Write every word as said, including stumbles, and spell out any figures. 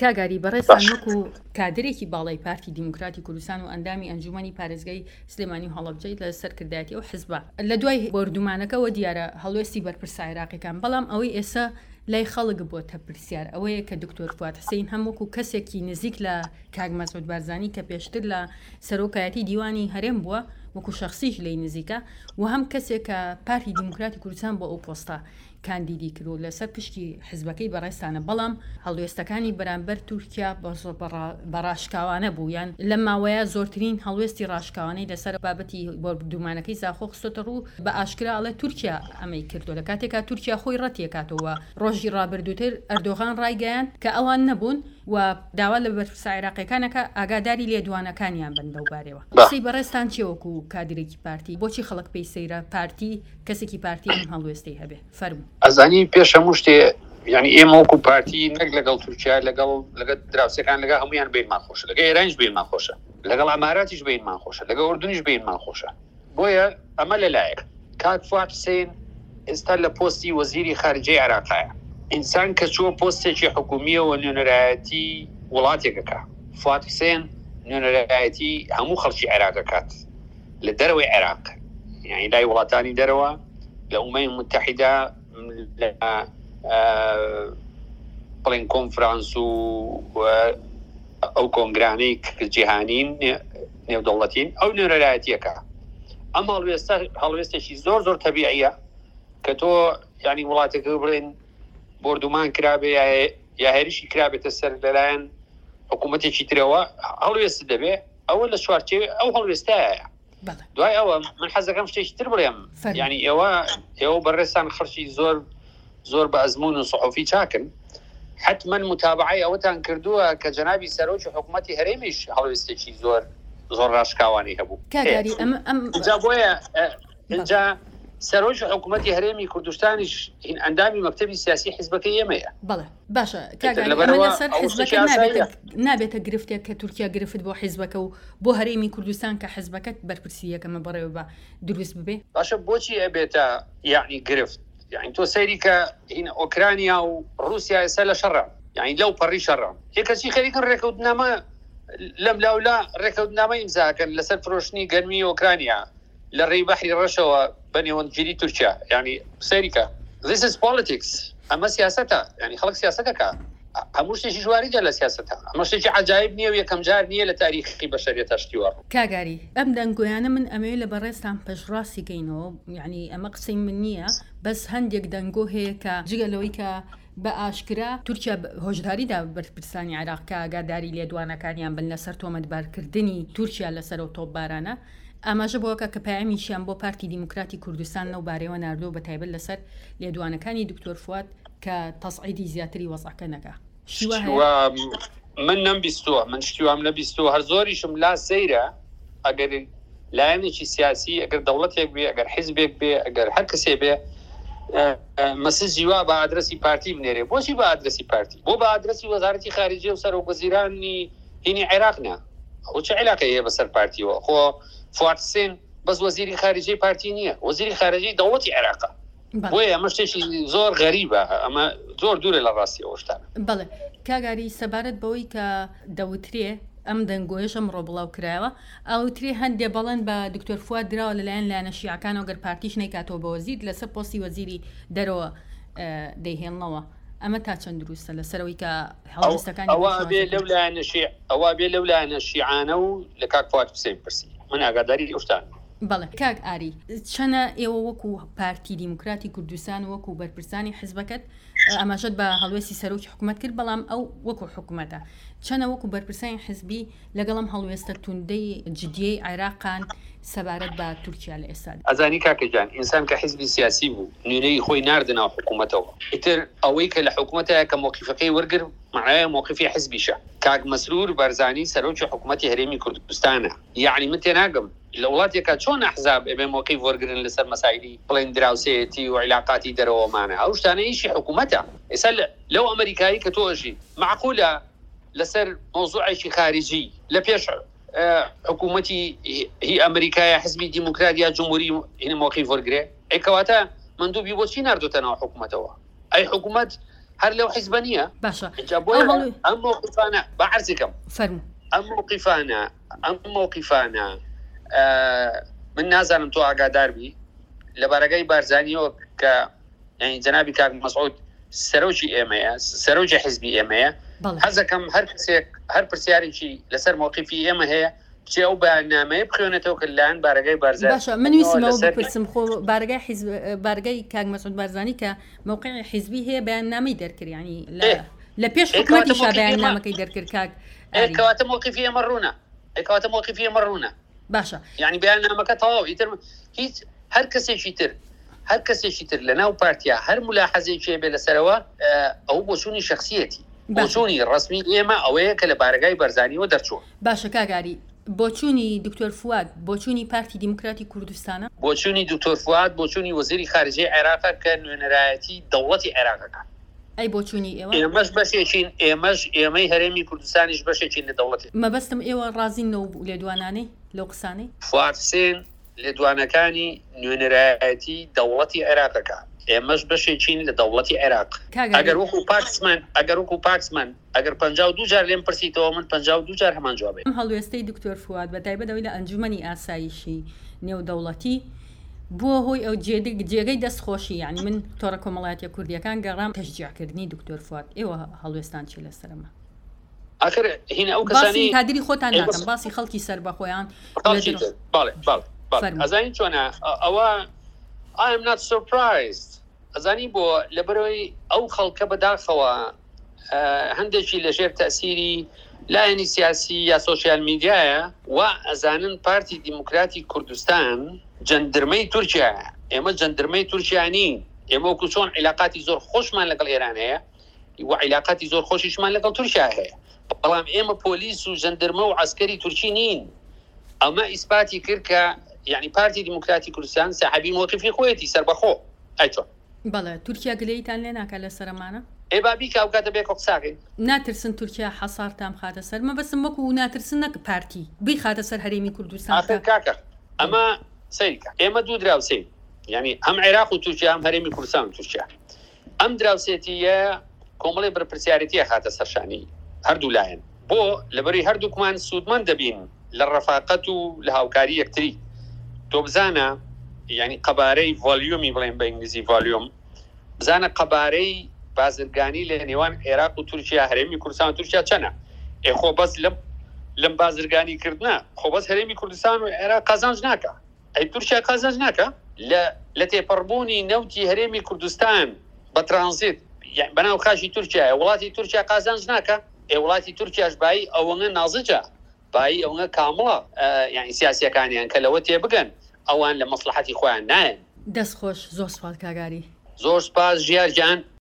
کاک ئاری بەڕێزتان وەکو کادرێکی باڵای پارتی دیموکراتی کوردستان و ئەندامی ئەنجومەنی پارێزگای سلێمانی و هەڵەبجەی لە سەرکردایەتی ئەو حزبە لە دوای بۆردومانەکەوە دیارە هەڵوێستی بەرپرسە عێراقیەکان، بەڵام ئەوەی ئێستا لای خەڵک بۆتە پرسیار ئەوەیە کە دکتۆر فواد حسین هەم وەکو کەسێکی نزیک لە کاک مەسعود بارزانی کە پێشتر لە سەرۆکایەتی دیوانی هەرێم بووە وەکو شخصیش لێی نزیکە و هەم کەسێک کە پارتی دیموکراتی کوردستان بۆ ئەو پۆستە کاندیدی کرد و لەسەر پشتی حزبەکەی بەڕێزتانە، بەڵام هەڵوێستەکانی بەرامبەر تورکیا بە ڕاشکاوانە بوو، یان لەم ماوەیە زۆرترین هەڵوێستی ڕاشکاوانەی لەسەر بابەتی بۆردومانەکەی زاخۆ خستۆتە ڕوو، بە ئاشکرا ئەڵێ تورکیا ئەمەی کردو لە کاتێکا تورکیا خۆی ڕەتیەکاتەوە. ڕۆژی ڕابردووتر ئەردۆغان ڕایگەیاند کە ئەوان نەبوون و داوا لە بەرپرسە عێراقیەکانەکە ئاگاداری لێدوانەکانیان بن لەو بارەوە. قسەی بەڕێزتان چیە وەکو کادرێکی پارتی؟ بۆچی خەڵک پێی سەیرە پارتی کەسێکی پارتی ئەم هەڵوێستەی هەبێ؟ فەرموو. ئەزانی پێش هەموو شتێ یعنی ئێمە وەکو پارتی نەک لەگەڵ تورکیا، لەگەڵ لەگەڵ دراوسێکان، لەگەڵ هەمویان بینمان خۆشە، لەگەڵ ئێرانیش بینمان خۆشە، لەگەڵ ئەماراتیش بینمان خۆشە، لەگەڵ ئوردنیش بینمان خۆشە. بۆیە ئەمە لەلایەک. کاک فواد حسین ئێستا لە پۆستی وەزیری خارجەی عێراقایە. ئینسان کە چووە پۆستێکی حکومیەوە نوێنەرایەتی وڵاتێکەکە، فواد حسین نوێنەرایەتی هەموو خەڵکی عێراقەکات لە دەرەوەی عێراق، یعنی لای وڵاتانی دەرەوە، لە ئومەی متحیدە، لە بڵێن کۆنفرانس و ئەو کۆنگرانەی جیهانین نێودەوڵەتین، ئەو نوێنەرایەتیەکە. ئەم هەڵوێستە هەڵوێستێکی زۆر زۆر تەبیعیە کە تۆ یعنی وڵاتێکە بڵێن بۆردومان کرابێ یا هێرشی کرابێتە سەر لەلایەن حکوومەتێکی ترەوە هەڵوێست دەبێ، ئەوە لە چوارچێوەی ئەو هەڵوێستایە. دوای ئەوە من حەزەکەم شتێکی تر بڵێم، یعنی ئێوە ئێوە بەڕێزتان خەڵکی زۆر زۆر بە ئەزمون و سەحوفی چاکن، حتما متابعەی ئەوەتان کردووە کە جەنابی سەرۆکی حکوومەتی هەرێمیش هەڵوێستێکی زۆر زۆر ڕاشکاوانی هەبوو. کاک ئاری ئەم ئەم اینجا بۆیە اینجا سەرۆکی حکوومەتی هەرێمی کوردستانیش هین ئەندامی مەکتەبی سیاسی حیزبەکەی ئێمەیە. بەڵێ باشە کاک ئاری، ئەمە لەسەر حیزبەکە نابێتە گرفتێک کە تورکیا گرفت بۆ حیزبەکە و بۆ هەرێمی کوردستان کە حیزبەکەت بەرپرسی یەکەمە بەڕێوە بە دروست ببێ؟ باشە بۆچی ئەبێتە یعنی گرفت؟ یعنی تۆ سەیری کە هین ئۆکرانیا و ڕووسیا ئێستا لە شەڕە، یعنی لەو پەڕی شەڕە، یەکەچی خەریکن ڕێکەوتنامە لەم لاولا ڕێکەوتنامە ئیمزاکەن لەسەر فرۆشتنی گەرمی ئۆکرانیا لە ڕێی بەحری ڕەشەوە بە نێوەندگیری تورکیا. یعنی سەیریکە this is politics، ئەمە سیاسەتە، یعنی خەڵک سیاسەتەکە، هەموو شتێکی ژواریجە لە سیاسەتە، ئەمە شتێکی عەجایب نییە و یەکەم جار نییە لە تاریخی بەشەریەتە شتی وا. کاک ئاری ئەم دەنگۆیانە من ئەمەوێ لە بەڕێزتان پەشڕاستی کەینەوە، یعنی ئەمە قسەی من نییە، بەس هەندێک دەنگۆ هەیە کە جگە لەوەی کە بە ئاشکرا تورکیا هۆشداری دا بەرپرسانی عێراق کە ئاگاداری لێدوانەکانیان بن لەسەر تۆمەتبارکردنی تورکیا لەسەر ئەو تۆپبارانە، ئاماژە بۆکە کە پەیامیشیان بۆ پارتی دیموکراتی کوردستان لەو بارەیەوە ناردووە، بە تایبەت لەسەر لێدوانەکانی دکتۆر فواد کە تەسعیدی زیاتری وەزعەکە نەکا. شتی وا هەیە؟ من نەمبیستووە، من شتی وام نەبیستووە، هەر زۆریشم لا سەیرە ئەگەر لایەنێکی سیاسی، ئەگەر دەوڵەتێک بێ، ئەگەر حیزبێک بێ، ئەگەر هەر کەسێ بێ، مەسجی وا بە ئادرەسی پارتی بنێرێ. بۆچی بە ئادرەسی پارتی؟ بۆ بە ئادرەسی وەزارەتی خارجیە و سەرۆک وەزیرانی هینی عێراق نا. ئەو چه علاقەی هەیە بەسەر پارتیەوە؟ خۆ فواد حسین بەس وەزیری خارجیەی پارتی نییە، وەزیری خارجیەی دەوڵەتی عێراقە. بۆیە ئەمە شتێکی زۆر غەریبە، ئەمە زۆر دوورە لە ڕاستی ئەو شتانە. بەڵێ کاک ئاری، سەبارەت بەوەی کە دەوترێ ئەم دەنگۆیەش ئەمڕۆ بڵاو کرایەوە، ئەوترێ هەندێ بەڵێن بە دکتۆر فواد دراوە لەلایەن لایەنە شیعەکانەوە گەر پارتیش نەیکاتەوە بە وەزیر، لەسەر پۆستی وەزیری دەرەوە دەیهێڵنەوە. ئەمە تا چەند دروستە لەسەرەوەی کە هەڵوێستەکانی ئەوە بێ لەو لایەنە شیع، ئەوە بێ لەو لایەنە شیعانە و لە کاک فواد حوسێن پرسی، من ئاگاداری ئەو شتانە. بەڵێ کاک ئاری، چەنە ئێوە وەکو پارتی دیموکراتی کوردستان وەکو بەرپرسانی حیزبەکەت ئاماژەت بە هەڵوێستی سەرۆکی حکوومەت کرد، بەڵام ئەو وەکو حکوومەتە چەنە وەکو بەرپرسانی حیزبی لەگەڵم هەڵوێستە توندەی جدیەی عێراقان سەبارەت بە تورکیا لە ئێستادا؟ ئەزانی کاکە گیان، ئینسان کە حیزبی سیاسی بوو نوێنەری خۆی ناردە ناو حکوومەتەوە، ئیتر ئەوەی کە لە حکوومەتە کە موقفەکەی وەرگر معنایە موقفی حیزبیشە. کاک مەسرور بارزانی سەرۆکی حکوومەتی هەرێمی کوردستانە. یعنی من تێناگەم لە وڵاتێکە چۆن ئەحزاب ئەبێ موقف وەرگرن لەسەر مەسایلی بڵێن دراوسێتی و عیلاقاتی دەرەوەمانە، ئەو شتانە ئیشی حکوومەتە. ئێستا لەو ئەمریکایی کە تۆ ئەژی معقولە لەسەر مەوزوعێکی خارجی لە پێش حکوومەتی هی ئەمریکایە حزبی دیموکرات یا جمهوری هین موقف وەرگرێ؟ ئەی کەواتە مندوبی بۆچی ناردوتە ناو حکوومەتەوە؟ ئەی حکوومەت هەر لەو حیزبە نییە. باشە ئینجا بۆیە ئەم مەوقیفانە با عەرزی کەم. فەرموو. ئەم مەوقیفانە ئەم مەوقیفانە من نازانم تۆ ئاگادار بی لە بارەگای بارزانیەوە کە یعنی جەنابی کاک مەسعود سەرۆکی ئێمەیە، سەرۆکی حیزبی ئێمەیە. حەزەکەم هەر کەسێک هەر پرسیارێکی لەسەر مەوقیفی ئێمە هەیە بچێ ئەو بەیاننامەیە بخوێنێتەوە کە لەلایەن بارەگای بارزانی باشە من ویستم ئەوە بپرسم خۆ بارەگای حیزب بارەگای کاک مەسعود بارزانی کە مەوقعی حیزبی هەیە بەیاننامەی دەرکرد یعنی لە پێش حکومەتیشا بەیاننامەکەی دەرکرد کاک ئاری. کەواتە مەوقیفی ئێمە ڕوونە، کەواتە مەوقیفی ئێمە ڕوونە. باشە یعنی بەیاننامەکە تەواو ئیتر هیچ هەر کەسێکی تر هەر کەسێکی تر لە ناو پارتیا هەر ملاحەزێکی هەبێ لەسەرەوە ئەو بۆچوونی شخصیەتی بۆچوونی ڕسمی ئێمە ئەوەیە کە لە بارەگای بارزانیەوە دەرچووە. باشە کاک ئاری بۆچوونی دکتۆر فواد بۆچوونی پارتی دیموکراتی کوردستانە؟ بۆچوونی دکتۆر فواد بۆچوونی وەزیری خارجەی عێراقە کە نوێنەرایەتی دەوڵەتی عێراقەکە. ئەی بۆچوونی ئێوە؟ ئێمەش بەشێکین، ئێمەش ئێمەی هەرێمی کوردستانیش بەشێکین لە دەوڵەتی. مەبەستم ئێوە ڕازین لەو لێدوانانەی لەو قسانەی؟ فواد حسێن لێدوانەکانی نوێنەرایەتی دەوڵەتی عێراقەکە، ئێمەش بەشێکین لە دەوڵەتی عێراق. ئەگەر وەکو پاکسمان ئەگەر وەکو پاکسمان ئەگەر پەنجا و دوو جار لێم پرسیتەوە من پەنجا و دوو جار هەمان جوابێ. ئەم هەڵوێستەی دکتۆر فواد بە تایبەت ئەوەی لە ئەنجومەنی ئاسایشی نێودەوڵەتی بووە هۆی ئەو جێگەی دەستخۆشی، یعنی من تۆڕە کۆمەڵایەتیە کوردیەکان گەڕام تەشجیعکردنی دکتۆر فواد، ئێوە هەڵوێستان چی لەسەرەمە؟ ئاخر هینە ئەو باسی کەسانی کادری خۆتان ئێ ناکەم، بەس باسی خەڵکی سەربەخۆیان خەڵکی لە تر. بەڵێ، بەڵێ، بەڵێ. فەرموو. ئەزانی چۆنە؟ ئەوە I am not surprised. ئەزانی بۆ لەبەرەوەی ئەو خەڵکە بەداخەوە هەندێکی لەژێر تەسیری لایەنی سیاسی یا سۆشیال میدیایە و ئەزانن پارتی دیموکراتی کوردستان جەندرمەی تورکیایە. ئێمە جەندرمەی تورکیا نین. ئێمە وەکو چۆن عیلاقاتی زۆر خۆشمان لەگەڵ ئێران هەیە و عیلاقاتی زۆر خۆشیشمان لەگەڵ تورکیا هەیە، بەڵام ئێمە پۆلیس و جەندرمە و عەسکەری تورکی نین. ئەمە ئیسپاتی کرد کە یعنی پارتی دیموکراتی کوردستان ساحەبی مەوقیفی خۆیەتی سەربەخۆ. ئەی چۆن؟ بەڵێ تورکیا گلەیتان لێ ناکا لەسەر ئەمانە؟ ئێ با بیکا ئەو کاتە بێکۆ قساکەین. ناترسن تورکیا حەسارتان بخاتە سەر؟ مەبەستم وەکو ناترسن نەک پارتی بیخاتە سەر هەرێمی کوردستان. ئاخر کاکە ئەمە سەیرکە، ئێمە دوو دراوسێین، یعنی هەم عێراق و تورکیا هەم هەرێمی کوردستان و تورکیا. ئەم دراوسێتیە کۆمەڵی بەرپرسیارێتیە خاتە سەرشانی هەردوو لایەن، بۆ لەبەری هەردووکمان سوودمەند دەبین لە ڕەفاقەت و لە هاوکاری یەکتری. تۆ بزانە یعنی قەبارەی ڤۆلیومی بڵێن بە ئینگلیزی ڤۆلیوم، بزانە قەبارەی بازرگانی لە نێوان عێراق و تورکیا هەرێمی کوردستان و تورکیا چەنە؟ ئێ خۆ بەس لەم لەم بازرگانی کردنە خۆ بەس هەرێمی کوردستان و عێراق قازانج ناکە، ئەی تورکیا قازانج ناکە؟ لە تێپەڕبوونی نەوتی هەرێمی کوردستان بە ترانزیت بەناو خاکی تورکیایە، وڵاتی تورکیا قازانج ناکە؟ ئێ وڵاتی تورکیاش بایی ئەوەنە نازجە، بایی ئەوەنە کامڵە، یعنی سیاسیەکانیان کە لەوە تێبگەن ئەوان لە مەسلحەتی خۆیان نایەن. دەست خۆش، زۆر سوپاس کاگاری. زۆر سوپاس ژیار گیان.